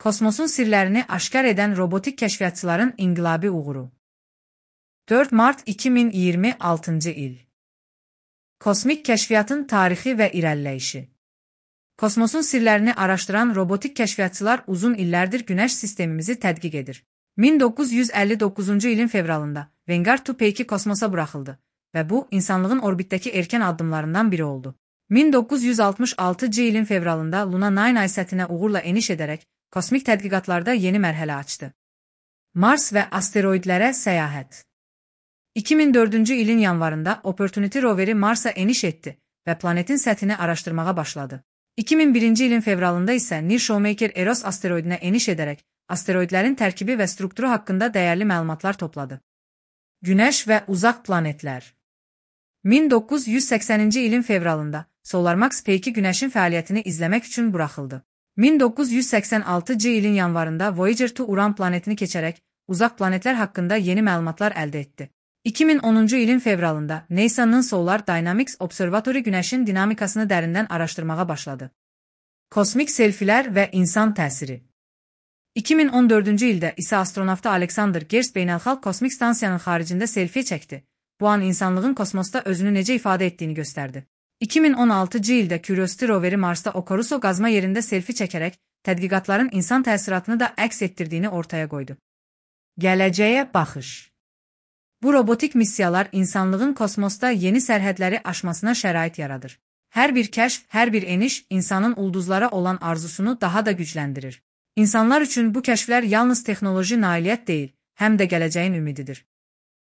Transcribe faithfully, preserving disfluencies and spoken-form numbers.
Kosmosun sirlərini aşkar edən robotik kəşfiyyatçıların inqilabi uğuru. dörd mart iki min iyirmi altıncı il. Kosmik kəşfiyyatın tarixi və irəliləyişi. Kosmosun sirlərini araşdıran robotik kəşfiyyatçılar uzun illərdir Günəş sistemimizi tədqiq edir. min doqquz yüz əlli doqquzuncu ilin fevralında Vanguard iki P kosmosa buraxıldı və bu, insanlığın orbitdəki erkən addımlarından biri oldu. min doqquz yüz altmış altıncı ilin fevralında Luna dokuz ay səthinə uğurla eniş edərək kosmik tədqiqatlarda yeni mərhələ açdı. Mars və asteroidlərə səyahət. iki min dördüncü ilin yanvarında Opportunity roveri Marsa eniş etdi və planetin səthini araşdırmağa başladı. iki min birinci ilin fevralında isə Near Shoemaker Eros asteroidinə eniş edərək asteroidlərin tərkibi və strukturu haqqında dəyərli məlumatlar topladı. Günəş və uzaq planetlər. min doqquz yüz səksəninci ilin fevralında SolarMax P iki Günəşin fəaliyyətini izləmək üçün buraxıldı. min doqquz yüz səksən altıncı ilin yanvarında Voyager iki Uran planetini keçərək uzaq planetlər haqqında yeni məlumatlar əldə etdi. iki min onuncu ilin fevralında NASA'nın Solar Dynamics Observatory Günəşin dinamikasını dərindən araşdırmağa başladı. Kosmik selfilər və insan təsiri. iki min on dördüncü ildə isə astronavtı Alexander Gerst beynəlxalq kosmik stansiyanın xaricində selfie çəkdi. Bu an insanlığın kosmosda özünü necə ifadə etdiyini göstərdi. iki min on altıncı ildə Curiosity roveri Marsda Okuruso qazma yerində selfie çəkərək tədqiqatların insan təsiratını da əks etdirdiyini ortaya qoydu. Gələcəyə baxış. Bu robotik missiyalar insanlığın kosmosda yeni sərhədləri aşmasına şərait yaradır. Hər bir kəşf, hər bir eniş insanın ulduzlara olan arzusunu daha da gücləndirir. İnsanlar üçün bu kəşflər yalnız texnoloji nailiyyət deyil, həm də gələcəyin ümididir.